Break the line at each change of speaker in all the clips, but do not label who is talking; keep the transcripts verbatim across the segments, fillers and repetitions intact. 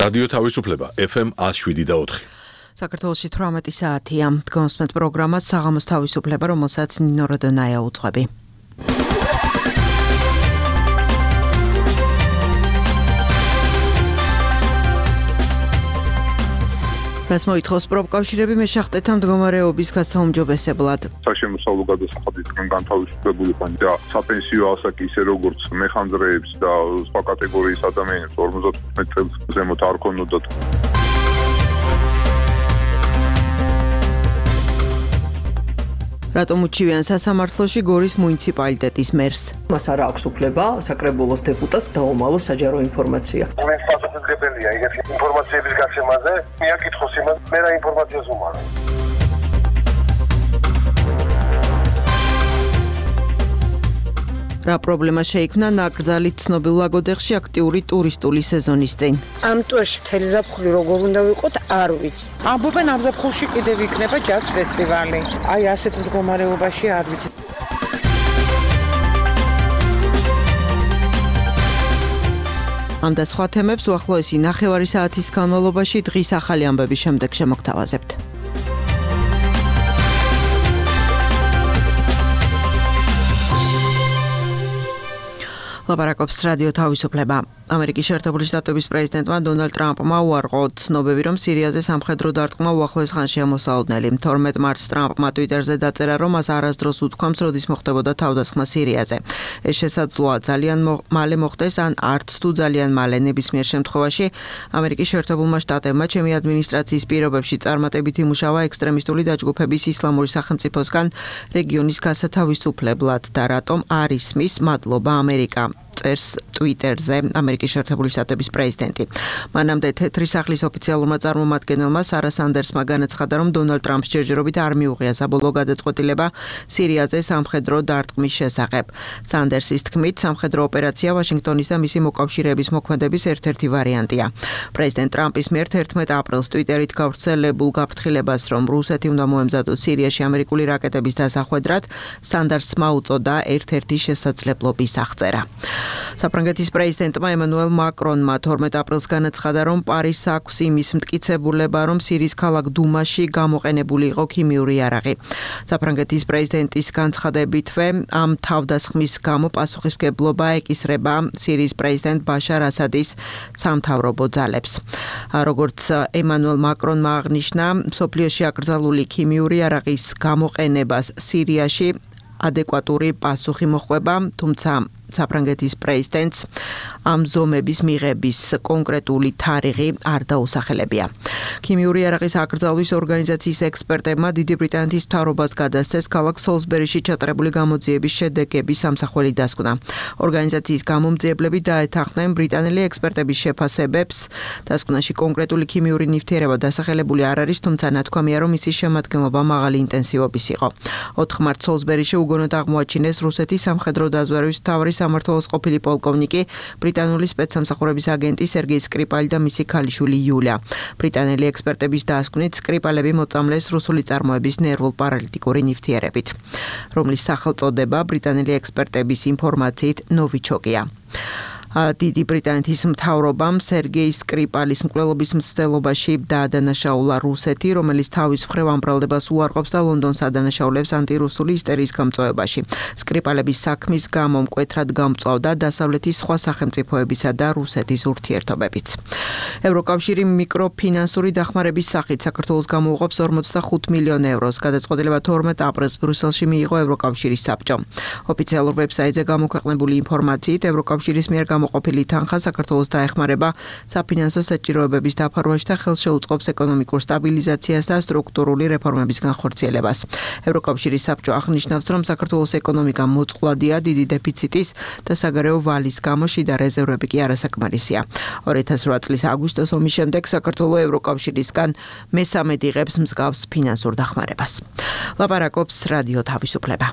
რადიო თავისუფლება ეფ ემ one oh seven და four.
საქართველოში თვრამეტი საათია. Დგომსმეთ პროგრამას საღამოს თავისუფლება, რომელსაც ნინო როდონაია უძღვები. რას მოითხოვს პროფკავშირები მეშახტეთა მდგომარეობის გასაუმჯობესებლად?
საშემოსავლო გადასახადისგან განთავისუფლებული ხან და საპენსიო ასაკი ისე როგორც მეხანძრეებს და სხვა კატეგორიის ადამიანებს ორმოცდათხუთმეტ წელს ზემოთ არ ქონოდათ.
რატომ უჩივიან სასამართლოში გორის მუნიციპალიტეტის მერს?
მას არ აქვს უფლება საკრებულოს დეპუტატს დაუმალოს საჯარო ინფორმაცია.
იმის პასუხისმგებელია იგივე ინფორმაციების გაცემაზე, მიაკითხოს იმას, მე რა ინფორმაციას უმალო.
რა პრობლემა შეიქმნა ნაკრძალით ცნობილ ლაგოდეხში აქტიური ტურისტული სეზონის წინ?
ამ ტურში მთელი ზაფხული როგორ უნდა ვიყოთ, არ ვიცი.
ამბობენ ამ ზაფხულში კიდევ იქნება ჯაზ ფესტივალი. აი ასეთ მდგომარეობაში არ ვიცი.
ამ და სხვა თემებს უახლოესი ნახევარი საათის განმავლობაში დღის ახალი ამბების შემდეგ შემოგთავაზებთ. ლაპარაკობს რადიო თავისუფლება. ამერიკის შეერთებული შტატების პრეზიდენტმა დონალდ ტრამპმა უარყო ცნობები, რომ სირიაზე სამხედრო დარტყმა უახლოეს ხანშია მოსალოდნელი. თორმეტ მარტს ტრამპმა ტვიტერზე დაწერა, რომ მას არასდროს უთქვამს, როდის მოხდებოდა თავდასხმა სირიაზე. ეს შესაძლოა ძალიან მალე მოხდეს, ან არც თუ ძალიან მალე. ნებისმიერ შემთხვევაში ამერიკის შეერთებულმა შტატებმა ჩემი ადმინისტრაციის პირობებში წარმატებით იმუშავა ექსტრემისტული დაჯგუფების ისლამური სახელმწიფოსგან რეგიონის გასათავისუფლებლად და რატომ არ ისმის მადლობა ამერიკა. წერს ტვიტერზე ამერიკის შეერთებული შტატების პრეზიდენტი. მანამდე თეთრი სახლის ოფიციალურმა წარმომადგენელმა სარა სანდერსმა განაცხადა, რომ დონალდ ტრამპს ჯერჯერობით არ მიუღია საბოლოო გადაწყვეტილება სირიაზე სამხედრო დარტყმის შესახებ. სანდერსის თქმით, სამხედრო ოპერაცია ვაშინგტონის და მისი მოკავშირეების მოქმედების ერთ-ერთი ვარიანტია. პრეზიდენტ ტრამპის მიერ თერთმეტ აპრილს ტვიტერით გავრცელებულ გაფრთხილებას, რომ რუსეთი უნდა მოემზადოს სირიაში ამერიკული რაკეტების დასახვედრად, სანდერსმა უწოდა ერთ-ერთი შესაძლებლობის აღწერა. საფრანგეთის პრეზიდენტმა ემანუელ მაკრონმა თორმეტ აპრილს განაცხადა, რომ პარიზს აქვს იმის მტკიცებულება, რომ სირიის ქალაქ დუმაში გამოყენებული იყო ქიმიური იარაღი. საფრანგეთის პრეზიდენტის განცხადებითვე ამ თავდასხმის გამო პასუხისმგებლობა ეკისრება სირიის პრეზიდენტ ბაშარ ასადის სამთავრობო ძალებს. როგორც ემანუელ მაკრონმა აღნიშნა, მსოფლიოში აკრძალული ქიმიური იარაღის გამოყენებას სირიაში ადეკვატური პასუხი მოჰყვება, თუმცა საფრანგეთის პრეზიდენტს ამ ზომების მიღების კონკრეტული თარიღი არ დაუსახელებია. ქიმიური იარაღის აკრძალვის ორგანიზაციის ექსპერტებმა დიდი ბრიტანეთის მთავრობას გადასცეს ქალაქ სოლსბერიში ჩატარებული გამოძიების შედეგების სამსახველი დასკვნა. ორგანიზაციის გამომძიებლები დაეთანხმნენ ბრიტანელი ექსპერტების შეფასებებს. დასკვნაში კონკრეტული ქიმიური ნივთიერება დასახელებული არ არის, თუმცა ნათქვამია, რომ ისი შემადგენლობა მაღალი ინტენსივობის იყო. ოთხ მარტს სოლსბერიში უგონოდ აღმოაჩინეს რუსეთის სამხედრო დაზვერვის მთავარი სამმართველოს ყოფილი პოლკოვნიკი, ბრიტანული სპეცსამსახურების აგენტი სერგეი სკრიპალი და მისი ქალიშვილი იულია. ბრიტანელი ექსპერტების დასკვნით სკრიპალები მოწამლეს რუსული წარმოების ნერვულ-პარალიტიკური ნივთიერებით, რომლის სახელწოდება ბრიტანელი ექსპერტების ინფორმაციით ნოვიჩოკია. დიდი ბრიტანეთის მთავრობამ სერგეი სკრიპალის მკვლელობის მცდელობაში დაადანაშაულა რუსეთი, რომელიც თავის მხრივ ამ ბრალდებას უარყოფს და ლონდონს ადანაშაულებს ანტირუსული ისტერიის გამწვევებაში. სკრიპალების საქმის გამო მკვეთრად გამწვავდა დასავლეთის სხვა სახელმწიფოებისა და რუსეთის ურთიერთობებიც. ევროკავშირი მიკროფინანსური დახმარების სახით საქართველოს გამოუყოფს ორმოცდახუთ მილიონ ევროს. გადაწყვეტილება თორმეტ აპრილს ბრიუსელში მიიღო ევროკავშირის საბჭომ. ოფიციალურ ვებსაიტზე გამოქვეყნებული ინფორმაციით ევროკავშირის მიერ მოყოფილი თანხა საქართველოს დაეხმარება საფინანსო საჭიროებების დაფარვაში და ხელს შეუწყობს ეკონომიკურ სტაბილიზაციას და სტრუქტურული რეფორმების განხორციელებას. ევროკავშირის საბჭო აღნიშნავს, რომ საქართველოს ეკონომიკა მოწყვლადია დიდი დეფიციტის და საგარეო ვალის გამო შიდა რეზერვები კი არასაკმარისია. ორი ათას რვა წლის აგვისტოს ომის შემდეგ საქართველო ევროკავშირისგან მესამედ იღებს მსგავს ფინანსურ დახმარებას. ლაპარაკობს რადიო თავისუფლება.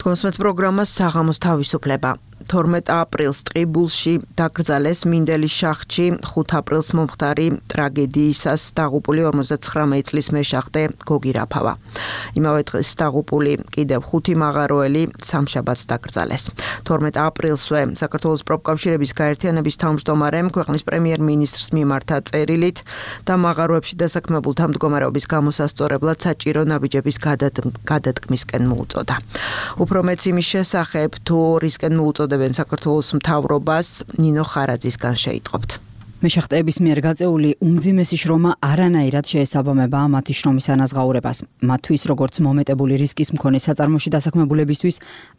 დგომსმეთ პროგრამას საღამოს თავისუფლება. თორმეტ აპრილს ტყიბულში დაკრძალეს მინდელის შახტში ხუთ აპრილს მომხდარი ტრაგედიისას დაღუპული ორმოცდაცხრამეტ წლის მეშახტე გოგი რაფავა. იმავე დღეს დაღუპული კიდევ ხუთი მაღაროელი სამშაბათს დაკრძალეს. თორმეტ აპრილსვე საქართველოს პროფკავშირების გაერთიანების თავმჯდომარემ ქვეყნის პრემიერ-მინისტრს მიმართა წერილით და მაღაროებში დასაქმებულთა მდგომარეობის გამოსასწორებლად საჭირო ნაბიჯების გადადგმისკენ მოუწოდა. უფრო მეც იმის შესახებ თუ რისკენ მოუწოდა საქართველოს მთავრობას ნინო ხარაძისგან შეიტყობთ.
მეშახტეების მიერ გაწეული უმძიმესი შრომა არანაირად შეესაბამება მათი შრომის ანაზღაურებას. მათთვის როგორც მომეტებული რისკის მქონე საწარმოში დასაქმებულებისთვის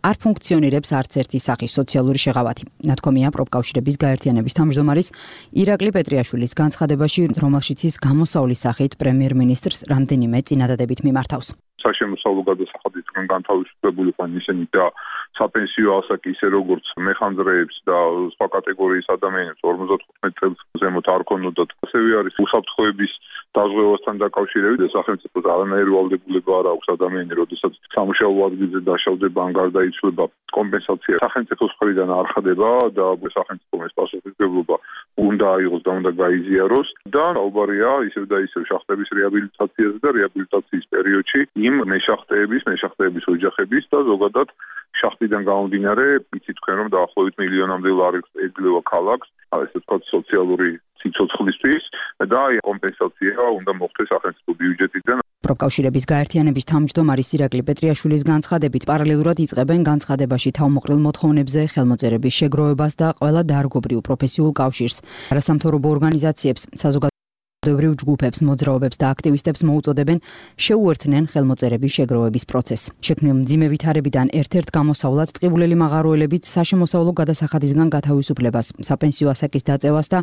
არ ფუნქციონირებს არც ერთი სახის სოციალური შეღავათი. ნათქვამია პროფკავშირების გაერთიანების თავმჯდომარის ირაკლი პეტრიაშვილის განცხადებაში, რომელშიც ის გამოსავლის სახით პრემიერ-მინისტრს რამდენიმე წინადადებით მიმართავს.
საშემოსავლო გადასახადებისგან განთავისუფლებული ხან ისინი და საპენსიო ასაკი ისე როგორც მეხანძრეებს და სხვა კატეგორიის ადამიანებს ორმოცდათხუთმეტ წელს ზემოთ არ ქონოდათ. ასევე არის უსაფრთხოების დაზღვევასთან დაკავშირებით და სახელმწიფოს არანაირი ვალდებულება არ აქვს ადამიანი, როდესაც სამუშაო ადგილზე დაშავდება ან გარდაიცვლება, კომპენსაცია სახელმწიფოს მხრიდან არ ხდება და სახელმწიფომ ეს პასუხისმგებლობა უნდა აიღოს და უნდა გაიზიაროს და საუბარია ისევ და ისევ შახტების რეაბილიტაციაზე და რეაბილიტაციის პერიოდში იმ მეშახტეების, მეშახტეების ოჯახების და ზოგადად შახტიდან გამომდინარე, იცით თქვენ რომ დაახლოებით მილიონამდე ლარი ეძლევა ქალაქს, ესე ვთქვათ სოციალური სიცოცხლისთვის და აი კომპენსაცია უნდა მოხდეს სახელმწიფო ბიუჯეტიდან.
პროფკავშირების გაერთიანების თავმჯდომარის ირაკლი პეტრიაშვილის განცხადებით პარალელურად იწყებენ განცხადებაში თავმოყრილ მოთხოვნებზე ხელმოწერების შეგროვებას და ყველა დარგობრივ პროფესიულ კავშირს, არასამთავრობო ორგანიზაციებს, საზოგადოებრივ ჯგუფებს, მოძრაობებს და აქტივისტებს მოუწოდებენ შეუერთდნენ ხელმოწერების შეგროვების პროცესს. შექმნილ მძიმე ვითარებიდან ერთ-ერთ გამოსავლად ტყიბულელი მაღაროელებიც საშემოსავლო გადასახადისგან გათავისუფლებას, საპენსიო ასაკის დაწევას და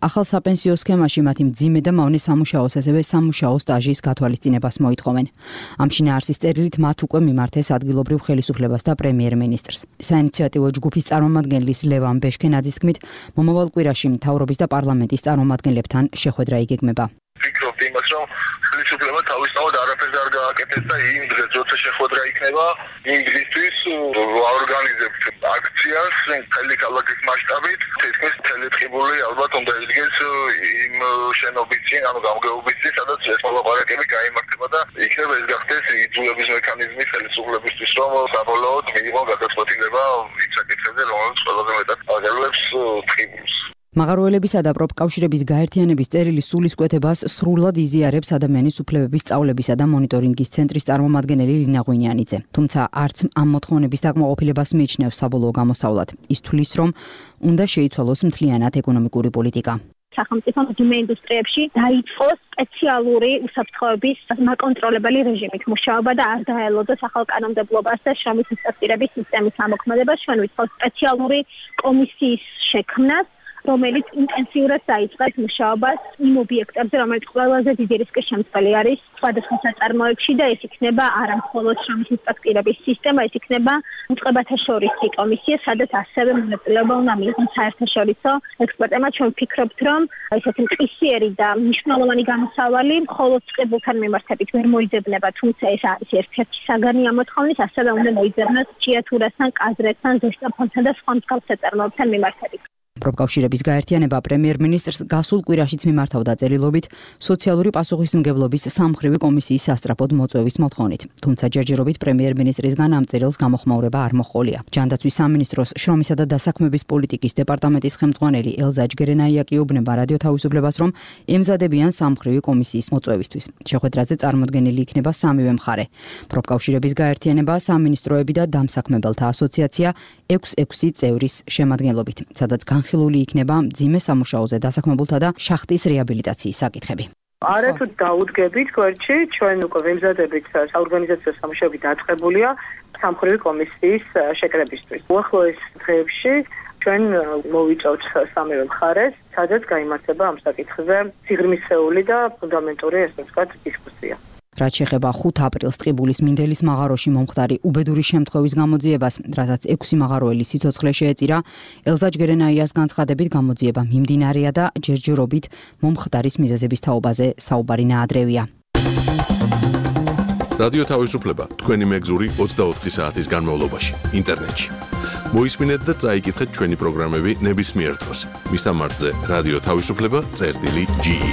ახალ საპენსიო სქემაში მათი მძიმე და მავნე სამუშაოს, ასევე სამუშაო სტაჟის გათვალისწინებას მოითხოვენ. ამ შინაარსის წერილით მათ უკვე მიმართეს ადგილობრივ ხელისუფლებას და პრემიერ-მინისტრს. საინიციატივო ჯგუფის წარმომადგენლის ლევან ბეშქენაძის თქმით, მომავალ კვირაში მთავრობის და პარლამენტის წარმომადგენლებთან შეხვედრა იგეგმება.
ვფიქრობთ იმას, რომ ხელისუფლება თავისთავად არაფერს არ გააკეთეს და იმ დღეს, როცა შეხვედრა იქნება, იმ დღისთვის აორგანიზებთ აქციას მთელი ქალაქის მასშტაბით. თითქმის მთელი ტყიბული ალბათ უნდა იდგეს იმ შენობის წინ, ანუ გამგეობის წინ, სადაც ეს მოლაპარაკება გაიმართება და იქნება ეს გახდეს იძულების მექანიზმი ხელისუფლებისთვის, რომ საბოლოოდ მიიღო გადაწყვეტილება იმ საკითხებზე, რომელიც ყველაზე მეტად აგერვებს ტყიბულს.
მაღაროელებისა და პროფკავშირების გაერთიანების წერილის სულისკვეთებას სრულად იზიარებს ადამიანის უფლებების სწავლებისა და მონიტორინგის ცენტრის წარმომადგენელი ლინა ღვინიანიძე. თუმცა არც ამ მოთხოვნების დაკმაყოფილებას მიიჩნევს საბოლოო გამოსავლად. ის თვლის, რომ უნდა შეიცვალოს მთლიანად ეკონომიკური პოლიტიკა.
სახელმწიფო მძიმე ინდუსტრიებში დაიწყო სპეციალური უსაფრთხოების მაკონტროლებელი რეჟიმით მუშაობა და არ დაელოდოს ახალ კანონმდებლობას და შრომის ინსპექტირების სისტემის ამოქმედებას. ჩვენ ვიცხოვთ სპეციალური კომისიის შექმნას, რომელიც ინტენსიურად დაიწყებს მუშაობას იმ ობიექტებზე, რომელიც ყველაზე დიდი რისკის შემცველი არის სხვადასხვა საწარმოებში და ეს იქნება არა მხოლოდ შრომის ინსპექტირების სისტემა, ეს იქნება უწყებათა შორისი კომისია, სადაც ასევე მონაწილეობა უნდა მიიღოს საერთაშორისო ექსპერტებმა. ჩვენ ვფიქრობთ, რომ ესეთი მყისიერი და მნიშვნელოვანი გამოსავალი მხოლოდ წყებულთან მიმართებით ვერ მოიძებნება, თუმცა ეს არის ერთ-ერთი საგანი ამ მოთხოვნის, ასევე უნდა მოიძებნოს ჭიათურასთან, კაზრეთთან, ზესტაფონთან და სხვა მსგავს საწარმოებთან მიმართებით.
პროფკავშირების გაერთიანება პრემიერ-მინისტრს გასულ კვირაშიც მიმართავდა წერილობით სოციალური პასუხისმგებლობის სამმხრივი კომისიის სასწრაფოდ მოწვევის მოთხოვნით. თუმცა ჯერჯერობით პრემიერ-მინისტრისგან ამ წერილს გამოხმაურება არ მოჰყოლია. ჯანდაცვის სამინისტროს შრომისა და დასაქმების პოლიტიკის დეპარტამენტის ხელმძღვანელი ელზა ჯგერენაია აკიობნება რადიო თავისუფლებას, რომ ემზადებიან სამმხრივი კომისიის მოწვევისთვის. შეხვედრაზე წარმოდგენილი იქნება სამივე მხარე. პროფკავშირების გაერთიანება, სამინისტროები და დამსაქმებელთა ასოციაცია ექვს ექვსი წევრის შემადგენლობით, სადაც განხილული იქნება მძიმე სამუშაოზე დასაქმებულთა და შახტის რეაბილიტაციის საკითხები.
არათუ დაუდგებით გვერდში, ჩვენ უკვე ვემზადებით საორგანიზაციო სამუშაოები დაწყებულია სამმხრივი კომისიის შეკრებისთვის. უახლოეს დღეებში ჩვენ მოვიწევთ სამივე მხარეს, სადაც გაიმართება ამ საკითხზე სიღრმისეული და ფუნდამენტური, ესე ვთქვათ, დისკუსია. რაც შეეხება ხუთ აპრილს ტყიბულის მინდელის მაღაროში მომხდარი უბედური შემთხვევის გამოძიებას, რასაც ექვსი მაღაროელი სიცოცხლე შეეწირა, ელზა ჯგერენაიას განცხადებით გამოძიება მიმდინარეა და ჯერჯერობით მომხდარის მიზეზების თაობაზე საუბარი ნაადრევია.
რადიო თავისუფლება თქვენი მეგზური ოცდაოთხი საათის განმავლობაში ინტერნეტში. მოისმინეთ და წაიკითხეთ ჩვენი პროგრამები ნებისმიერ დროს. მისამართზე რადიო თავისუფლება წერტილი ჯი ი.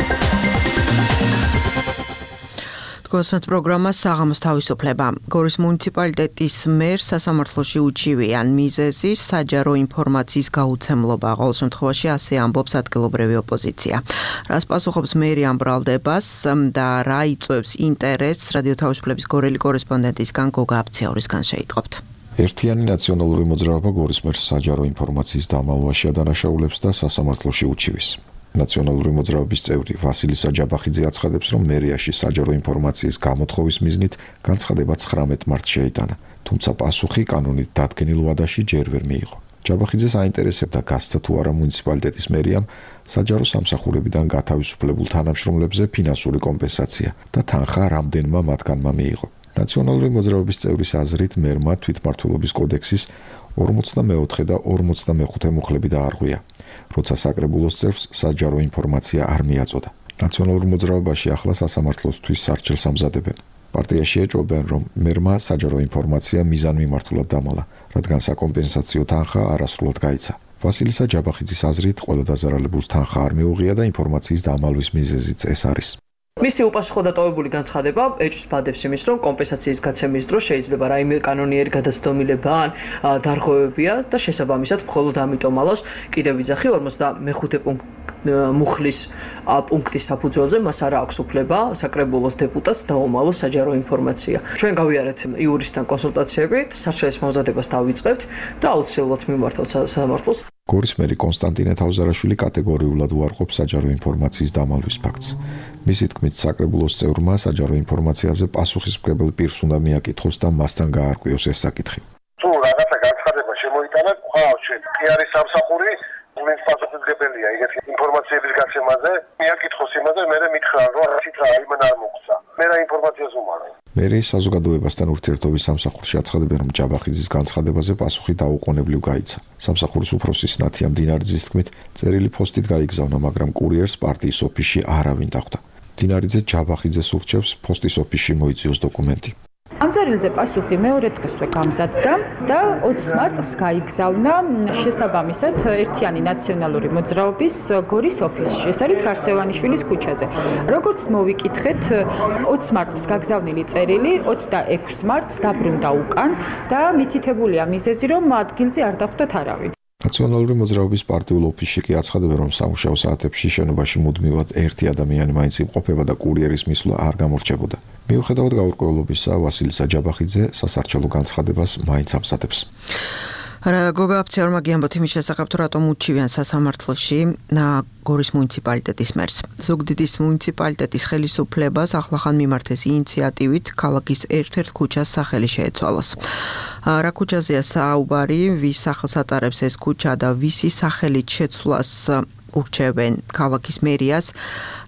გოსმეთ პროგრამა საღამოს თავისუფლება. გორის მუნიციპალიტეტის მერს სასამართლოში უჩივიან მიზეზი საჯარო ინფორმაციის გაუცემლობა. ყოველ შემთხვევაში ასე ამბობს ადგილობრივი ოპოზიცია. რას პასუხობს მერი ამ ბრალდებას და რა იწვევს ინტერესს რადიო თავისუფლების გორელი კორესპონდენტისგან გოგა აფციაურისგან შეიტყობთ.
ერთიანი ნაციონალური მოძრაობა გორის მერს საჯარო ინფორმაციის დამალვაში ადანაშაულებს და სასამართლოში უჩივის. ნაციონალური მოძრაობის წევრი ვასილი საჯაბახიძე აცხადებს, რომ მერიაში საჯარო ინფორმაციის გამოთხოვის მიზნით განცხადება ცხრამეტ მარტს შეიტანა, თუმცა პასუხი კანონით დადგენილ ვადაში ჯერ ვერ მიიღო. ჯაბახიძეს აინტერესებდა გასცა თუ არა მუნიციპალიტეტის მერიამ საჯარო სამსახურებიდან გათავისუფლებულ თანამშრომლებზე ფინანსური კომპენსაცია და თანხა რამდენმა მათგანმა მიიღო. ნაციონალური მოძრაობის წევრის აზრით მერმა თვითმმართველობის კოდექსის ორმოცდამეოთხე და ორმოცდამეხუთე მუხლები დაარღვია, როცა საკრებულოს წევრს საჯარო ინფორმაცია არ მიაწოდა. ნაციონალურ მოძრაობაში ახლა სასამართლოსთვის სარჩელს ამზადებენ. პარტიაში ეჭვობენ, რომ მერმა საჯარო ინფორმაცია მიზანმიმართულად დამალა, რადგან საკომპენსაციო თანხა არასრულად გაიცა. ვასილი საჯაბახიძის აზრით, ყველა დაზარალებულს თანხა არ მიუღია და ინფორმაციის დამალვის მიზეზიც ეს არის.
მისი უპასუხო დატოვებული განცხადება ეჭვს ბადებს იმის, რომ კომპენსაციის გაცემის დროს შეიძლება რაიმე კანონიერი გადაცდომილება ან დარღვევებია და შესაბამისად მხოლოდ ამიტომ ალავს კიდევ ვიძახი ორმოცდამეხუთე მუხლის პუნქტის საფუძველზე მას არ აქვს უფლება საკრებულოს დეპუტატს დაუმალოს საჯარო ინფორმაცია. ჩვენ გავიარეთ იურისტთან კონსულტაციებით, სარჩელის მომზადებას დავიწყებთ და აუცილებლად მიმართავთ სასამართლოს.
გორის მერი კონსტანტინე თავზარაშვილი კატეგორიულად უარყოფს საჯარო ინფორმაციის დამალვის ფაქტს. მისი თქმით, საკრებულოს წევრმა საჯარო ინფორმაციაზე პასუხისმგებელ პირს უნდა მიაკითხოს და მასთან გაარკვიოს ეს საკითხი.
თუ რაღაცა განცხადება შემოიტანა, ხავ ჩვენ კი არის სამსახური, ვინც პასუხისმგებელია ეგეთი ინფორმაციების გაცემაზე, მიაკითხოს იმაზე, მე მითხრა, რომ რაშიც აიმან არ მოგცა. მე რა ინფორმაციას უმალავ.
მერი საზოგადოებასთან ურთიერთობის სამსახურში აცხადებენ, რომ ჯაბახიძის განცხადებაზე პასუხი დაუყოვნებლივ გაიცა. სამსახურის უფროსის ნათია მდინარიძის თქმით, წერილი ფოსტით გაიგზავნა, მაგრამ კურიერს პარტიის ოფისში არავინ დახვდა. მდინარიძე ჯაბახიძეს ურჩევს ფოსტის ოფისში მოიწიოს დოკუმენტი.
ამ წერილზე პასუხი მეორე დღესვე გამზადდა და ოცი მარტს გაიგზავნა შესაბამისად ერთიანი ნაციონალური მოძრაობის გორის ოფისში. ეს არის გარსევანიშვილის ქუჩაზე. როგორც მოვიკითხეთ, ოცი მარტს გაგზავნილი წერილი ოცდაექვსი მარტს დაბრუნდა უკან და მითითებულია მიზეზი, რომ ადგილზე არ დახვდათ არავინ.
ნაციონალური მოძრაობის პარტიულ ოფისში კი აცხადებენ, რომ სამუშაო საათებში შენობაში მუდმივად ერთი ადამიანი მაინც იმყოფება და კურიერის მისვლა არ გამორჩებოდა. მიუხედავად გაურკვევლობისა, ვასილი საჯაბახიძე სასარჩელო განცხადებას მაინც ამზადებს.
გოგა აფციაურმა გიამბოთ იმის შესახებ, თუ რატომ უჩივიან სასამართლოში გორის მუნიციპალიტეტის მერს. ზუგდიდის მუნიციპალიტეტის ხელისუფლებას ახლახან მიმართეს ინიციატივით ქალაქის ერთ-ერთ ქუჩას სახელი შეეცვალოს. რა ქუჩაზეა საუბარი, ვის სახელს ატარებს ეს ქუჩა და ვისი სახელით შეცვლას ურჩევენ ქალაქის მერიას,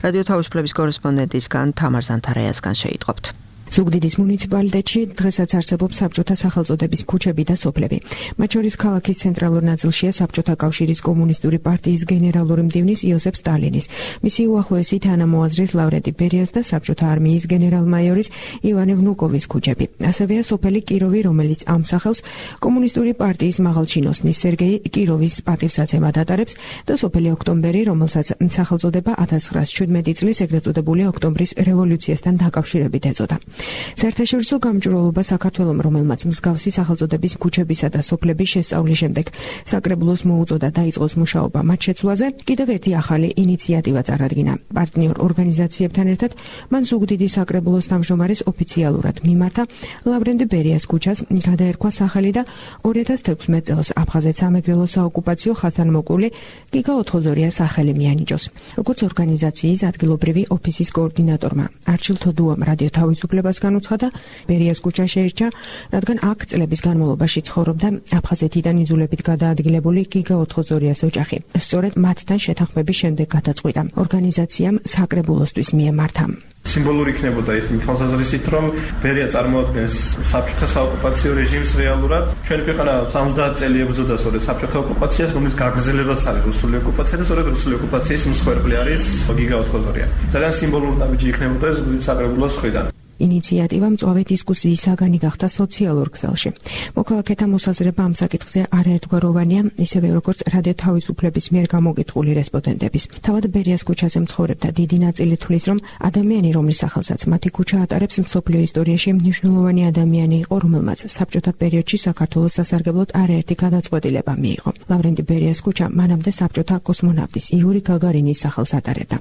რადიო თავისუფლების კორესპონდენტისგან თამარ ზანთარაიასგან შეიტყობთ.
ზუგდიდის მუნიციპალიტეტში დღესაც არსებობს საბჭოთა სახელწოდების ქუჩები და სოფლები. მათ შორის ქალაქის ცენტრალურ ნაწილშია საბჭოთა კავშირის კომუნისტური პარტიის გენერალური მდივნის იოსებ სტალინის, მისი უახლოესი თანამოაზრის ლავრენტი ბერიას და საბჭოთა არმიის გენერალ-მაიორის ივანე ვნუკოვის ქუჩები. ასევეა სოფელი კიროვი, რომელიც ამ სახელს კომუნისტური პარტიის მაღალჩინოსნის სერგეი კიროვის პატივსაცემად ატარებს და სოფელი ოქტომბერი, რომელსაც სახელწოდება ათას ცხრაას შვიდმეტი წლის ეგრეთ წოდებული ოქტომბრის რევოლუციასთან დაკავშირებით ეწოდა. საერთაშორისო გამჭვირვალობა საქართველომ, რომელმაც მსგავსი სახელწოდების ქუჩებისა და სოფლების შესწავლის შემდეგ საკრებულოს მოუწოდა დაიწყოს მუშაობა მათ შეცვლაზე, კიდევ ერთი ახალი ინიციატივა წარადგინა. პარტნიორ ორგანიზაციებთან ერთად მან ზუგდიდის საკრებულოს თავმჯდომარეს ოფიციალურად მიმართა ლავრენტი ბერიას ქუჩას გადაერქვა სახელი და ორი ათას თექვსმეტ წელს აფხაზეთ სამეგრელო საოკუპაციო ხაზთანმოკლული გიგა ოთხოზორიას სახელი მიანიჭოს. როგორც ორგანიზაციის ადგილობრივი ოფისის კოორდინატორმა არჩილ თოდუამ რადიო თავისუფლებას განუცხადა, ბერიას ქუჩა შეირჩა, რადგან აქ წლების განმავლობაში ცხოვრობდა აფხაზეთიდან იძულებით გადაადგილებული გიგა ოთხოზორიას ოჯახი. სწორედ მათთან შეთანხმების შემდეგ გადაწყვიტა ორგანიზაციამ საკრებულოსთვის მიემართა.
სიმბოლური იქნებოდა ის თვალსაზრისით, რომ ბერია წარმოადგენს საბჭოთა საოკუპაციო რეჟიმს რეალურად. ჩვენი ქვეყანა სამოცდაათ წელი ებრძოდა სწორედ საბჭოთა ოკუპაციას, რომლის გაგრძელებაც არის რუსული ოკუპაცია და სწორედ რუსული ოკუპაციის მსხვერპლი არის გიგა ოთხოზორია. ძალიან სიმბოლური ნაბიჯი იქნებოდა ეს ზუგდიდის საკრებულოს მხრიდან.
ინიციატივა მწვავე დისკუსიის საგანი გახდა სოციალურ ქსელში. მოქალაქეთა მოსაზრება ამ საკითხზე არაერთგვაროვანია, ისევე როგორც რადიო თავისუფლების მიერ გამოგიტყული რესპონდენტების. თავად ბერიას ქუჩაზე მცხოვრებთა დიდი ნაწილი თვლის, რომ ადამიანი, რომლის სახელსაც მათი ქუჩა ატარებს, მსოფლიო ისტორიაში მნიშვნელოვანი ადამიანი იყო, რომელმაც საბჭოთა პერიოდში საქართველოს სასარგებლოდ არაერთი გადაწყვეტილება მიიღო. ლავრენტი ბერიას ქუჩა მანამდე საბჭოთა კოსმონავტის იური გაგარინის სახელს ატარებდა.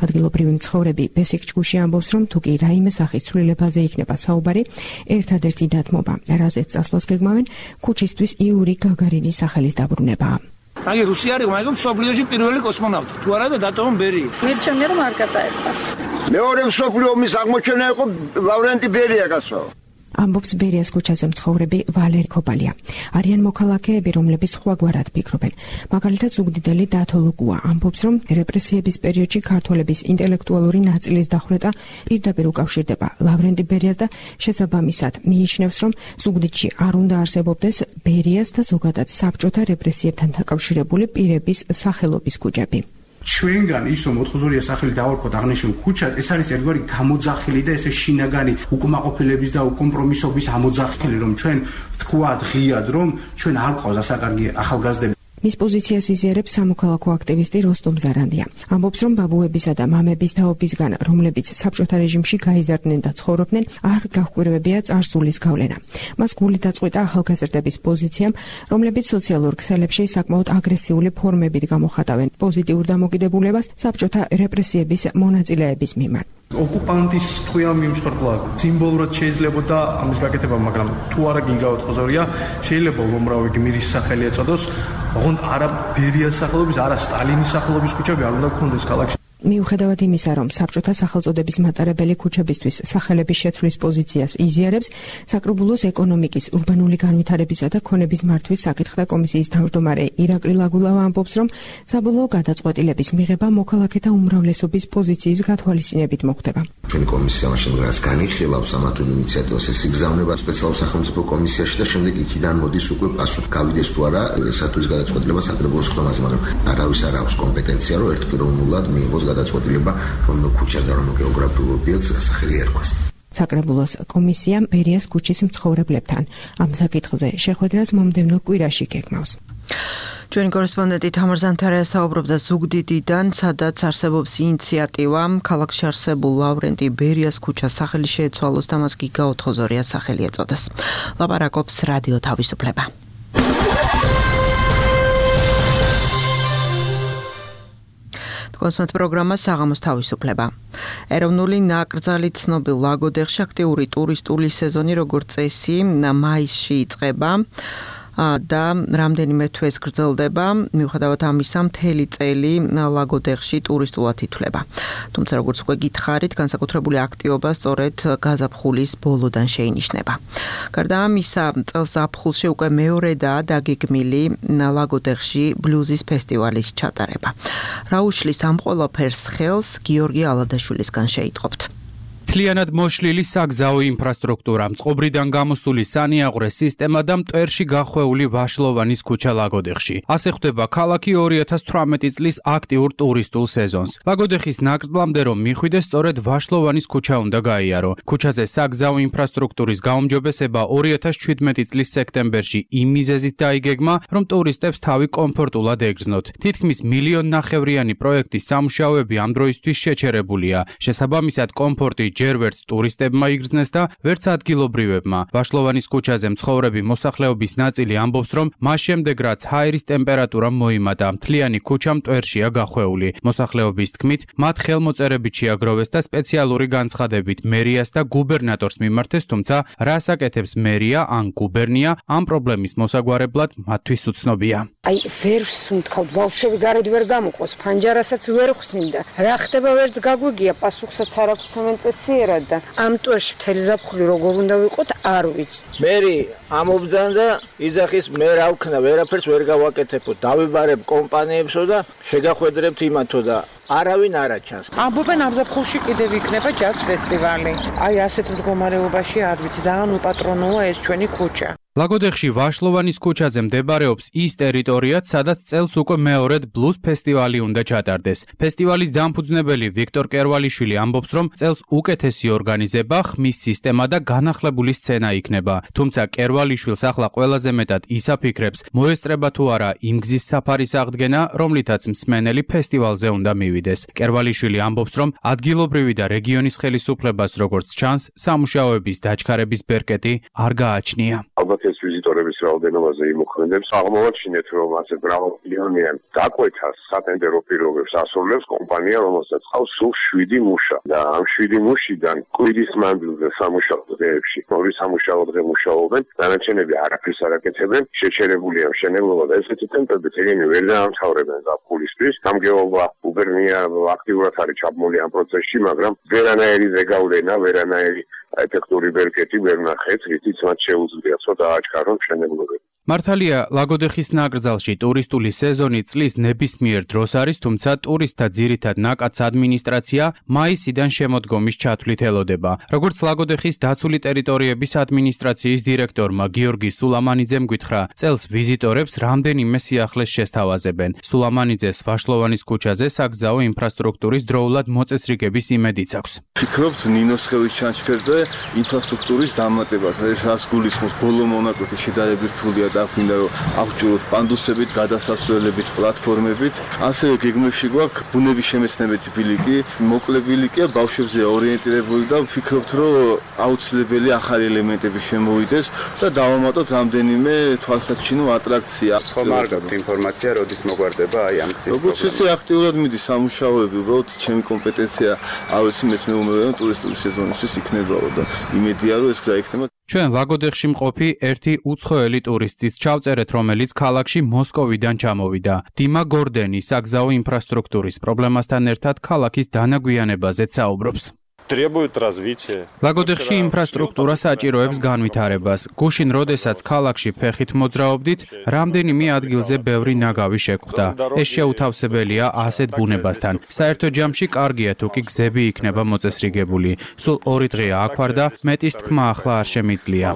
ადგილობრივი მცხოვრები ბესიკ ჩგუში ამბობს, რომ თუ კი რაიმე სახის ცვლილებაზე იქნება საუბარი, ერთადერთი დათმობა, რაზეც წასვლას გეგმავენ, ქუჩისთვის იური გაგარინის სახელის დაბრუნებაა.
აი რუსი არის, მაგრამ მსოფლიოში პირველი კოსმონავტი. თუ არა და დატოვონ ბერი.
მირჩენია რომ არ გადაერტას.
მეორე მსოფლიო ომის აღმოჩენა იყო ლავრენტი ბერია გასო.
ამბობს ბერიას ქუჩაზე მცხოვრები ვალერი ქობალია. არიან მოქალაქეები, რომლებიც სხვაგვარად ფიქრობენ. მაგალითად, ზუგდიდელი დათო ლუკუა ამბობს, რომ რეპრესიების პერიოდში ქართველების ინტელექტუალური ნაწილის დახვრეტა პირდაპირ უკავშირდება ლავრენტი ბერიას და შესაბამისად მიიჩნევს, რომ ზუგდიდში არ უნდა არსებობდეს ბერიას და ზოგადად საბჭოთა რეპრესიებთან დაკავშირებული პირების სახელობის ქუჩები.
ჩვენგან ის რომ ოთხზურია სახელი დავარქვათ აღნიშნულ ქუჩას, ეს არის ერთგვარი გამოძახილი და ესე შინაგანი უკმაყოფილების და უკომპრომისობის ამოძახილი, რომ ჩვენ ვთქვათ ღიად, რომ ჩვენ არ ყავს ასაკარგი ახალგაზრდები. მის პოზიციას იზიარებს სამოქალაქო აქტივისტი როსტომ ზარანდია. ამბობს, რომ ბაბუებისა და მამების თაობისგან, რომლებიც საბჭოთა რეჟიმში გაიზარდნენ და ცხოვრობდნენ, არ გაჰკვირვებია წარსულის გავლენა. მას გული დაწყვიტა ახალგაზრდების პოზიციამ, რომლებიც სოციალურ ქსელებში საკმაოდ აგრესიული ფორმებით გამოხატავენ პოზიტიურ დამოკიდებულებას საბჭოთა რეპრესიების მონაწილეების მიმართ.
ოკუპანტის თქვენ მიმსხვერპლა სიმბოლურად შეიძლებოდა ამის გაკეთება, მაგრამ თუ არა გინგავთ ხოზორია, შეიძლება უამრავი გმირის სახელი ეწოდოს, ოღონდ არა ბერიას სახელობის, არა სტალინის სახელობის ქუჩები არ უნდა გქონდეს ქალაქში.
მიუხედავად იმისა, რომ საბჭოთა სახელწოდების მატარებელი ქუჩებისთვის სახელების შეცვლის პოზიციას იზიარებს, საკრებულოს ეკონომიკის, ურბანული განვითარებისა და ქონების მართვის საკითხთა კომისიის თავმჯდომარე ირაკლი ლაგულავა ამბობს, რომ საბოლოო გადაწყვეტილების მიღება მოქალაქეთა უმრავლესობის პოზიციის გათვალისწინებით მოხდება.
ჩვენი კომისია მაშინ რაც განიხილავს ამათულ ინიციატივას, ეს იგზავნება სპეციალურ სახელმწიფო კომისიაში და შემდეგ იქიდან მოდის უკვე პასუხი გავიდეს თუ არა სათვლის გადაწყვეტილება საკრებულოს ხდომაზე, მაგრამ არავის არ აქვს კომპეტენცია, რომ ერთპიროვნულად მიიღოს გადაწყვეტილება, რომ ქუჩას და რომ გეოგრაფიულ ობიექტს სახელი ერქვას.
საკრებულოს კომისია ბერიას ქუჩის მცხოვრებლებთან ამ საკითხზე შეხვედრას მომდევნო კვირაში გეგმავს.
ჩვენი კორესპონდენტი თამარ ზანთარია საუბრობდა ზუგდიდიდან, სადაც არსებობს ინიციატივა ქალაქში არსებულ ლავრენტი ბერიას ქუჩას სახელი შეეცვალოს და მას გიგა ოთხოზორიას სახელი ეწოდეს. ლაპარაკობს რადიო თავისუფლება. კონსერტ პროგრამა საღამოს თავისუფლება. ეროვნული ნაკრძალი ცნობილ ლაგოდეხში აქტიური ტურისტული სეზონი როგორც წესი მაისში იწყება და რამდენიმე თვეს გრძელდება. მიუხედავად ამისა, მთელი წელი ლაგოდეხში ტურისტულად ითვლება. თუმცა როგორც უკვე გითხარით, განსაკუთრებული აქტივობა სწორედ გაზაფხულის ბოლოდან შეინიშნება. გარდა ამისა, წელს ზაფხულში უკვე მეორედაა დაგეგმილი ლაგოდეხში ბლუზის ფესტივალის ჩატარება. რა უშლის ამ ყველაფერს ხელს გიორგი ალადაშვილისგან შეიტყობთ.
მთლიანად მოშლილი საგზაო ინფრასტრუქტურა, მწყობრიდან გამოსული სანიაღვრე სისტემა და მტვერში გახვეული ვაშლოვანის ქუჩა ლაგოდეხში. ასე ხვდება ქალაქი ორი ათას თვრამეტი წლის აქტიურ ტურისტულ სეზონს. ლაგოდეხის ნაკრძლამდე რომ მიხვიდეს, სწორედ ვაშლოვანის ქუჩა უნდა გაიარო. ქუჩაზე საგზაო ინფრასტრუქტურის გაუმჯობესება ორი ათას ჩვიდმეტი წლის სექტემბერში იმ მიზეზით დაიგეგმა, რომ ტურისტებს თავი კომფორტულად ეგრძნოთ. თითქმის მილიონ ნახევრიანი პროექტის სამუშაოები ამ დროისთვის შეჩერებულია. შესაბამისად, კომფორტი ჯერ ვერც ტურისტებმა იგრძნეს და ვერც ადგილობრივებმა. ვაშლოვანის ქუჩაზე მცხოვრები მოსახლეობის ნაწილი ამბობს, რომ მას შემდეგ რაც ჰაერის ტემპერატურა მოიმატა, მთლიანი ქუჩა მტვერშია გახვეული. მოსახლეობის თქმით, მათ ხელმოწერებით შეაგროვეს და სპეციალური განცხადებით მერიას და გუბერნატორს მიმართეს, თუმცა რას აკეთებს მერია ან გუბერნია ამ პრობლემის მოსაგვარებლად მათთვის უცნობია.
აი, ვერ ვსუნთქავთ, ბავშვები გარეთ ვერ გამოყოს, ფანჯარასაც ვერ ხსნიდა. რა ხდება ვერც გაგვიგია, პასუხსაც არ აქვს ამენ წესიერად და ამ ტვერში მთელი ზაფხული როგორ უნდა ვიყოთ, არ ვიცი.
მერი ამობძან და იძახის მე რა ვქნა, ვერაფერს ვერ გავაკეთებო, დავიბარებ კომპანიებსო და შეგახვედრებთ იმათო და არავინ არ აჩანს.
ამბობენ ამ ზაფხულში კიდევ იქნება ჯაზ ფესტივალი. აი ასეთ მდგომარეობაში არ ვიცი, ძალიან უპატრონოა ეს ჩვენი ქუჩა.
ლაგოდეხში ვაშლოვანის ქუჩაზე მდებარეობს ის ტერიტორიაც, სადაც წელს უკვე მეორედ ბლუზ ფესტივალი უნდა ჩატარდეს. ფესტივალის დამფუძნებელი ვიქტორ კერვალიშვილი ამბობს, რომ წელს უკეთესი ორგანიზება, ხმის სისტემა და განახლებული სცენა იქნება. თუმცა კერვალიშვილს ახლა ყველაზე მეტად ის აფიქრებს, მოესწრება თუ არა იმ გზის საფარის აღდგენა, რომლითაც მსმენელი ფესტივალზე უნდა მივიდეს. კერვალიშვილი ამბობს, რომ ადგილობრივი და რეგიონის ხელისუფლებას როგორც ჩანს, სამუშაოების დაჩქარების ბერკეტი არ გააჩნია.
ალბათ ეს ვიზიტორების რაოდენობაზე იმოქმედებს. აღმოვაჩინეთ, რომ ასე მრავალმილიონიან დაკვეთას სატენდერო პირობებს ასრულებს კომპანია, რომელსაც ყავს სულ შვიდი მუშა და ამ შვიდი მუშიდან კვირის მანძილზე სამუშაო დღეებში ორი სამუშაო დღე მუშაობენ, დანარჩენები არაფერს არ აკეთებენ, შეჩერებულია მშენებლობა და ესეთი ტემპებით ეგენი ვერ დაამთავრებენ ზაფხულისთვის. გამგეობა უბერნია აქტიურად არის ჩაბმული ამ პროცესში, მაგრამ ვერანაირი ზეგავლენა, ვერანაირი ეფექტური ბერკეტი ვერ ნახეთ, რითიც მათ შეუძლიათ ცოტა აჩქარონ მშენებლობები.
მართალია, ლაგოდეხის ნაკრძალში ტურისტული სეზონი წლის ნებისმიერ დროს არის, თუმცა ტურისტთა ძირითად ნაკადს ადმინისტრაცია მაისიდან შემოდგომის ჩათვლით ელოდება. როგორც ლაგოდეხის დაცული ტერიტორიების ადმინისტრაციის დირექტორმა გიორგი სულამანიძემ გითხრა, წელს ვიზიტორებს რამდენიმე სიახლეს შესთავაზებენ. სულამანიძეს ვაშლოვანის ქუჩაზე საგზაო ინფრასტრუქტურის დროულად მოწესრიგების იმედიც აქვს.
ვფიქრობთ ნინოსხევის ჩანჩქერზე ინფრასტრუქტურის დამატებას, ეს რაც გულისხმობს ბოლო მონაკვეთი შედარებით რთულია და გვინდა რომ აღჭუროთ პანდუსებით, გადასასვლელებით, პლატფორმებით. ასევე გეგმებში გვაქვს ბუნების შემეცნებითი ბილიკი, მოკლე ბილიკია, ბავშვებზე ორიენტირებული და ვფიქრობთ, რომ აუცილებელი ახალი ელემენტები შემოვიდეს და დავამატოთ რამდენიმე თვალსაჩინო ატრაქცია.
ხომ არ გაქვთ ინფორმაცია, როდის მოგვარდება აი ამ გზის პროგრამა?
როგორც ისე აქტიურად მიდის სამუშაოები, უბრალოდ ჩემი კომპეტენცია არ ვიცი, მეც მეუბნები რომ ტურისტული სეზონისთვის იქნებაო და იმედია რომ ეს გზა იქნება.
ჩვენ ლაგოდეხში მყოფი ერთი უცხოელი ტურისტის ჩავწერეთ, რომელიც ქალაქში მოსკოვიდან ჩამოვიდა. დიმა გორდენი საგზაო ინფრასტრუქტურის პრობლემასთან ერთად ქალაქის დანაგვიანებაზეც საუბრობს. ლაგოდეხში ინფრასტრუქტურა საჭიროებს განვითარებას. გუშინ, როდესაც ქალაქში ფეხით მოძრაობდით, რამდენიმე ადგილზე ბევრი ნაგავი შეგვხვდა. ეს შეუთავსებელია ასეთ ბუნებასთან. საერთო ჯამში კარგია თუ კი გზები იქნება მოწესრიგებული. სულ ორი დღეა აქ ვარ და მეტის თქმა ახლა არ შემიძლია.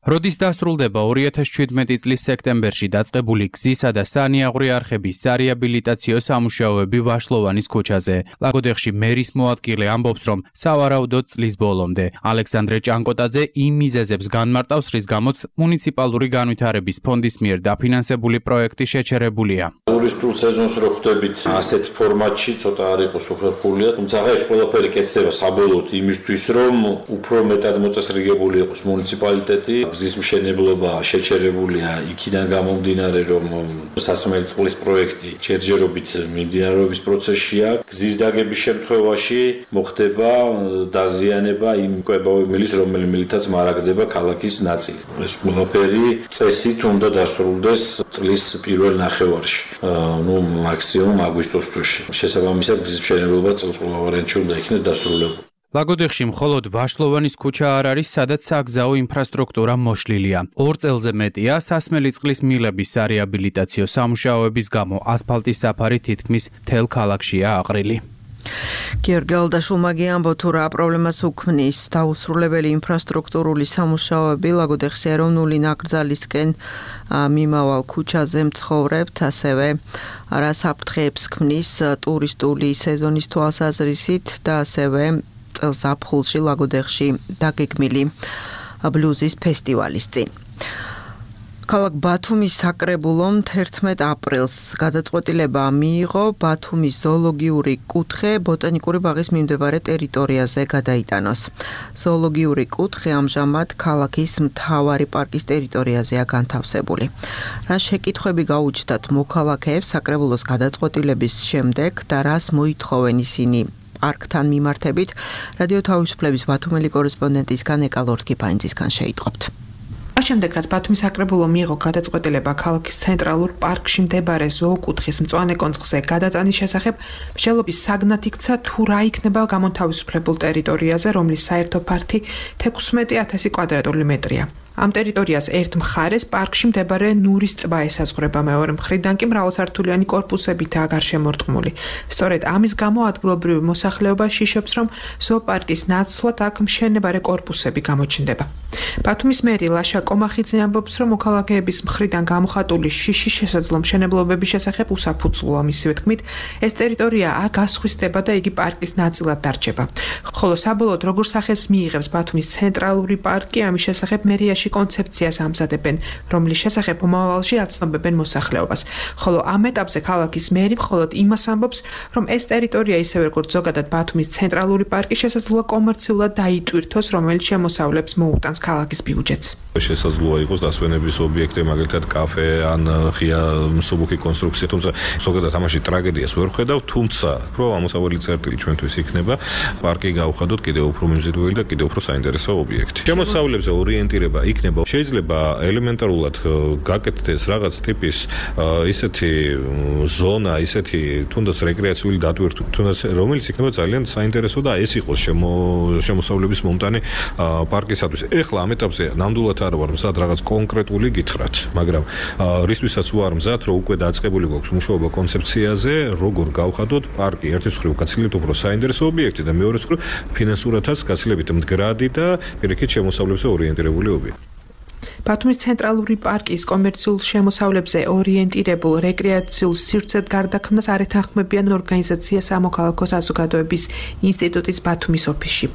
როდის დასრულდება ორი ათას შვიდმეტი წლის სექტემბერში დაწყებული გზისა და სანიაღვრე არხების სარეაბილიტაციო სამუშაოები ვაშლოვანის ქუჩაზე. ლაგოდეხში მერის მოადგილე ამბობს, რომ სავარაუდოდ წლის ბოლომდე. ალექსანდრე ჭანკოტაძე იმ მიზეზებს განმარტავს, რის გამოც მუნიციპალური განვითარების ფონდის მიერ დაფინანსებული პროექტი შეჩერებულია.
ტურისტულ სეზონს რო ხვდებით ასეთ ფორმატში, ცოტა არ იყოს უხერხულია, თუმცა ეს ყველაფერი კეთდება საბოლოოდ იმისთვის, რომ უფრო მეტად მოწესრიგებული იყოს მუნიციპალიტეტი. გზის მშენებლობა შეჩერებულია იქიდან გამომდინარე, რომ სასმელი წყლის პროექტი ჯერჯერობით მიმდინარეობის პროცესშია. გზის დაგების შემთხვევაში მოხდება დაზიანება იმ კვებავებლის, რომელიცაც მარაგდება ქალაქის ნაწილი. ეს ყველაფერი წესით უნდა დასრულდეს წლის პირველ ნახევარში, ну მაქსიმუმ აგვისტოს თვეში. შესაბამისად გზის მშენებლობა წელს ყველა ვარიანტში უნდა იქნეს დასრულებული.
ლაგოდეხში მხოლოდ ვაშლოვანის ქუჩა არ არის, სადაც საგზაო ინფრასტრუქტურა მოშლილია. ორ წელზე მეტია სასმელი წყლის მილების სარეაბილიტაციო სამუშაოების გამო ასფალტის საფარი თითქმის მთელ ქალაქშია აყრილი.
გიორგი ალდაშულმა გიამბო თუ რა პრობლემას უქმნის დაუსრულებელი ინფრასტრუქტურული სამუშაოები ლაგოდეხის ეროვნული ნაკრძალისკენ მიმავალ ქუჩაზე მცხოვრებთ, ასევე რა საფრთხეებს ქმნის ტურისტული სეზონის თვალსაზრისით და ასევე წელს ზაფხულში ლაგოდეხში დაგეგმილი ბლუზის ფესტივალის წინ. ქალაქ ბათუმის საკრებულომ თერთმეტ აპრილს გადაწყვეტილება მიიღო ბათუმის ზოოლოგიური კუთხე ბოტანიკური ბაღის მიმდებარე ტერიტორიაზე გადაიტანოს. ზოოლოგიური კუთხე ამჟამად ქალაქის მთავარი პარკის ტერიტორიაზეა განთავსებული. რა შეკითხვები გაუჩნდათ მოქალაქეებს საკრებულოს გადაწყვეტილების შემდეგ და რას მოითხოვენ ისინი პარკთან მიმართებით, რადიო თავისუფლების ბათუმელი კორესპონდენტისგან ეკა ლორთქიფაინძისგან შეიტყობთ.
ამ შემდეგ, რაც ბათუმის საკრებულო მიიღო გადაწყვეტილება ქალაქის ცენტრალურ პარკში მდებარე ზოოკუთხის მწვანე კონცხზე გადატანის შესახებ, მშენებლობის საგნად იქცა თუ რა იქნება გამონთავისუფლებულ ტერიტორიაზე, რომლის საერთო ფართი თექვსმეტი ათასი კვადრატული მეტრია.
ამ ტერიტორიას ერთ მხარეს პარკში მდებარე ნურის ტბა ესაზღვრება, მეორე მხრიდან კი მრავალსართულიანი კორპუსებითაა გარშემორტყმული. სწორედ ამის გამო ადგილობრივი მოსახლეობა შიშობს, რომ ზოოპარკის ნაცვლად აქ მშენებარე კორპუსები გამოჩნდება. ბათუმის მერი ლაშა კომახიძე ამბობს, რომ მოქალაქეების მხრიდან გამოხატული შიში შესაძლო მშენებლობების შესახებ უსაფუძვლოა. მისივე თქმით, ეს ტერიტორია არ გასხვისდება და იგი პარკის ნაწილად დარჩება. ხოლო საბოლოოდ როგორ სახეს მიიღებს ბათუმის ცენტრალური პარკი, ამის შესახებ მერიაში კონცეფციას ამზადებენ, რომლის შესახებ მომავალში აცნობებენ მოსახლეობას. ხოლო ამ ეტაპზე ქალაქის მერი მხოლოდ იმას ამბობს, რომ ეს ტერიტორია ისევე როგორც ზოგადად ბათუმის ცენტრალური პარკი შესაძლოა კომერციულად დაიტვირთოს, რომელიც შემოსავლებს მოუტანს ქალაქის ბიუჯეტს.
შესაძლოა იყოს დასვენების ობიექტი, მაგალითად კაფე ან ღია მსუბუქი კონსტრუქცია, თუმცა ზოგადად ამაში ტრაგედიას ვერ ხედავ, თუმცა უფრო ამოსავალი წერტილი ჩვენთვის იქნება პარკი გავხადოთ კიდევ უფრო მიმზიდველი და კიდევ უფრო საინტერესო ობიექტი. შემოსავლებზე ორიენტირება იქნება, შეიძლება ელემენტარულად გაკეთდეს რაღაც ტიპის ისეთი ზონა, ისეთი თუნდაც რეკრეაციული დატვირთვა, თუნდაც რომელიც იქნება ძალიან საინტერესო და ეს იყოს შემოსავლების მომტანი პარკისათვის. ეხლა ამ ეტაპზე ნამდვილად არ ვარ მზად რაღაც კონკრეტული გითხრათ, მაგრამ რისთვისაც ვარ მზად, რომ უკვე დაწყებული გვაქვს მუშაობა კონცეფციაზე, როგორ გავხადოთ პარკი ერთის მხრივ გაცილებით უფრო საინტერესო ობიექტი და მეორეს მხრივ ფინანსურადაც გაცილებით მდგრადი და პირიქით შემოსავლებზე ორიენტირებული ობიექტი.
ბათუმის ცენტრალური პარკის კომერციულ შემოსავლებზე ორიენტირებულ რეკრეაციულ სივრცედ გარდაქმნას არ ეთანხმებიან ორგანიზაცია სამოქალაქო საზოგადოების ინსტიტუტის ბათუმის ოფისში.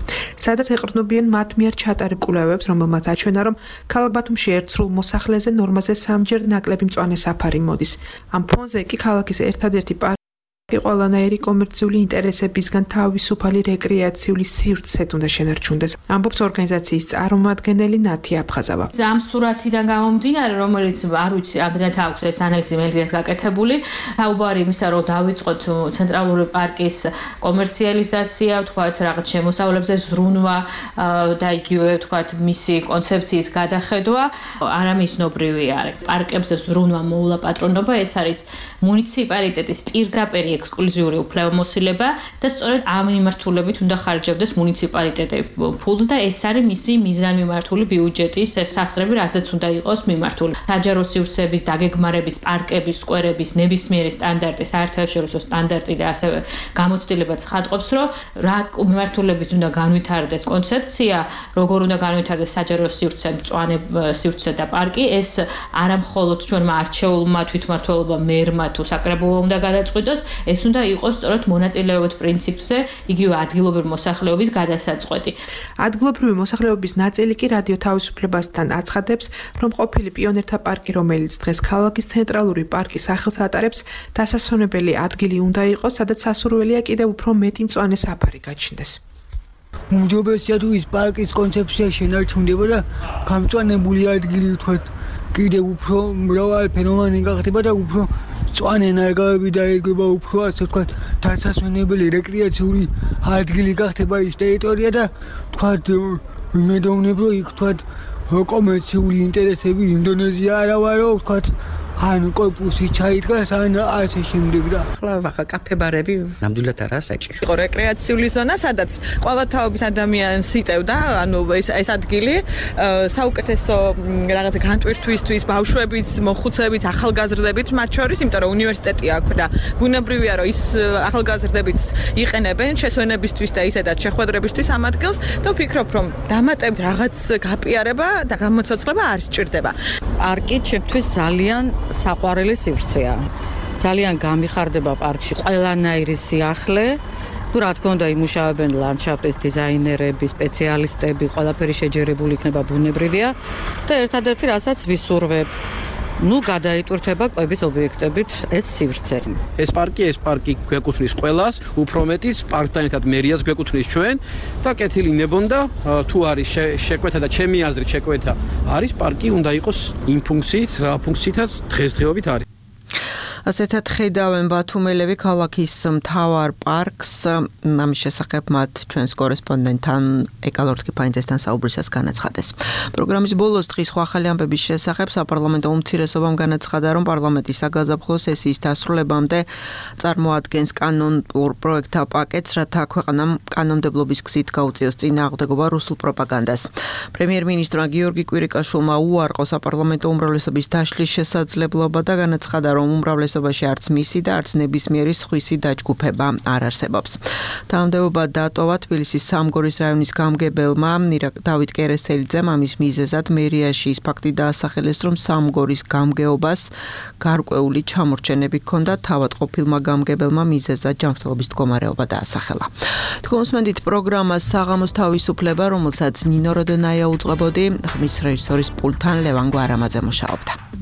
სადაც ეყრდნობიან მათ მიერ ჩატარებულ კვლევებს, რომელმაც აჩვენა, რომ ქალაქ ბათუმში ერთ სრულ მოსახლეზე ნორმაზე სამჯერ ნაკლები მწვანე საფარი მოდის. ამ ფონზე კი ქალაქის ერთადერთი პარკი ყველანაირი კომერციული ინტერესებისგან თავისუფალი რეკრეაციული სივრცედ უნდა შენარჩუნდეს. ამბობს ორგანიზაციის წარმომადგენელი ნათი აფხაზავა.
ამ სურათიდან გამომდინარე, რომელიც არ ვიცი, ამდენად აქვს ეს ანალიზი მელრიას გაკეთებული, საუბარი იმისა, რომ დავიწყოთ ცენტრალური პარკის კომერციალიზაცია, ვთქვათ, რაღაც შემოსავლებზე ზრუნვა და იგივე ვთქვათ, მისი კონცეფციის გადახედვა, არამისნობრივი არის. პარკებზე ზრუნვა მოულა პატრონობა, ეს არის მუნიციპალიტეტის პირდაპირ ექსკლუზიური უფლებამოსილება და სწორედ ამ მიმართულებით უნდა ხარჯავდეს მუნიციპალიტეტი ფულს და ეს არის მისი მიზანმიმართული ბიუჯეტის სახსრები, რაზეც უნდა იყოს მიმართული. საჯარო სივრცეების დაგეგმარების, პარკების, სკვერების ნებისმიერი სტანდარტი, საერთაშორისო სტანდარტი და ასევე გამოცდილება ცხადყოფს, რომ რა მიმართულებით უნდა განვითარდეს კონცეფცია, როგორ უნდა განვითარდეს საჯარო სივრცე, მწვანე სივრცე და პარკი, ეს არა მხოლოდ ჩვენმა არჩეულმა თვითმმართველობა მერმა თუ საკრებულო უნდა გადაწყვიტოს, ეს უნდა იყოს სწორედ მონაწილეობით პრინციპზე, იგივე ადგილობრივი მოსახლეობის გადასაწყვეტი.
ადგილობრივი მოსახლეობის ნაწილი კი რადიო თავისუფლებასთან აცხადებს, რომ ყოფილი პიონერთა პარკი, რომელიც დღეს ქალაქის ცენტრალური პარკის სახელს ატარებს, დასასვენებელი ადგილი უნდა იყოს, სადაც სასურველია კიდევ უფრო მეტი მწვანე საფარი გაჩნდეს.
უმჯობესია თუ ის პარკის კონცეფცია შენარჩუნდება და გამწვანებული ადგილი ვთქვათ, კიდევ უფრო მრავალ ფენომენი გახდება და უფრო მწვანე ნარგავები დაერგება, უფრო ასე ვთქვათ, დასასვენებელი რეკრეაციული ადგილი გახდება ის ტერიტორია და ვთქვათ, ვიმედოვნებ, რომ იქ ვთქვათ, კომერციული ინტერესები ინდონეზია არა ვარო, ვთქვათ, ან კორპუსი ჩაიდგას, ან ასე შემდეგ და
ახლა ვახა კაფე-ბარები ნამდვილად არა საჭირო.
იყო რეკრეაციული ზონა, სადაც ყველა თაობის ადამიანს იტევდა, ანუ ეს ეს ადგილი საუკეთესო რაღაცა განტვირთვისთვის, ბავშვების, მოხუცებით, ახალგაზრდებით, მათ შორის, იმიტომ რომ უნივერსიტეტი აქვს და ბუნებრივია, რომ ის ახალგაზრდებიც იყენებენ შესვენებისთვის და ისედაც შეხვედრებისთვის ამ ადგილს და ვფიქრობ, რომ დამატებთ რაღაც გაპიარება და გამოცოცხლება არ სჭირდება.
პარკი ჩემთვის ძალიან საყვარელი სივრცეა. ძალიან გამიხარდება პარკში ყველანაირი სიახლე. თუ რა თქმა უნდა იმუშავებენ ლანდშაფტის დიზაინერები, სპეციალისტები, ყველაფერი შეჯერებული იქნება ბუნებრივია და ერთადერთი რასაც ვისურვებ, ნუ გადაიტვირთება კვების ობიექტებით ეს სივრცე.
ეს პარკი, ეს პარკი გვეკუთვნის ყველას, უფრო მეტიც პარკთან ერთად მერიას გვეკუთვნის ჩვენ და კეთილი ნებონდა თუ არის შეკვეთა და ჩემი აზრით შეკვეთა არის პარკი უნდა იყოს იმ ფუნქციით, რა ფუნქციითაც დღესდღეობით არის.
ასეთად ხედავენ ბათუმელები ქალაქის მთავარ პარკს. ამის შესახებ მათ ჩვენს კორესპონდენტთან ეკალორთკი ფაინძესთან საუბრისას განაცხადეს. პროგრამის ბოლოს დღის სხვა ახალი ამბების შესახებ საპარლამენტო უმცირესობამ განაცხადა, რომ პარლამენტის საგაზაფხულო სესიის დასრულებამდე წარმოადგენს კანონურ პროექტთა პაკეტს, რათა ქვეყანამ კანონმდებლობის გზით გაუწიოს წინააღმდეგობა რუსულ პროპაგანდას. პრემიერ-მინისტრმა გიორგი კვირიკაშვილმა უარყო საპარლამენტო უმრავლესობის დაშლის შესაძლებლობა და განაცხადა, რომ უმრავლესობაში არც მისი და არც ნებისმიერი სხვისი დაჯგუფება არ არსებობს. თანამდებობა დატოვა თბილისის სამგორის რაიონის გამგებელმა დავით კერესელიძემ. ამის მიზეზად მერიაში ის ფაქტი დაასახელეს, რომ სამგორის გამგეობას გარკვეული ჩამორჩენები ჰქონდა, თავად ყოფილმა გამგებელმა მიზეზად ჯანმრთელობის მდგომარეობა დაასახელა. თქვენსმენდით პროგრამა საღამოს თავისუფლება, რომელსაც ნინო როდენაია უძღვებოდი, ხმის რეჟისორის პულტთან ლევან გვარამაძე მუშაობდა.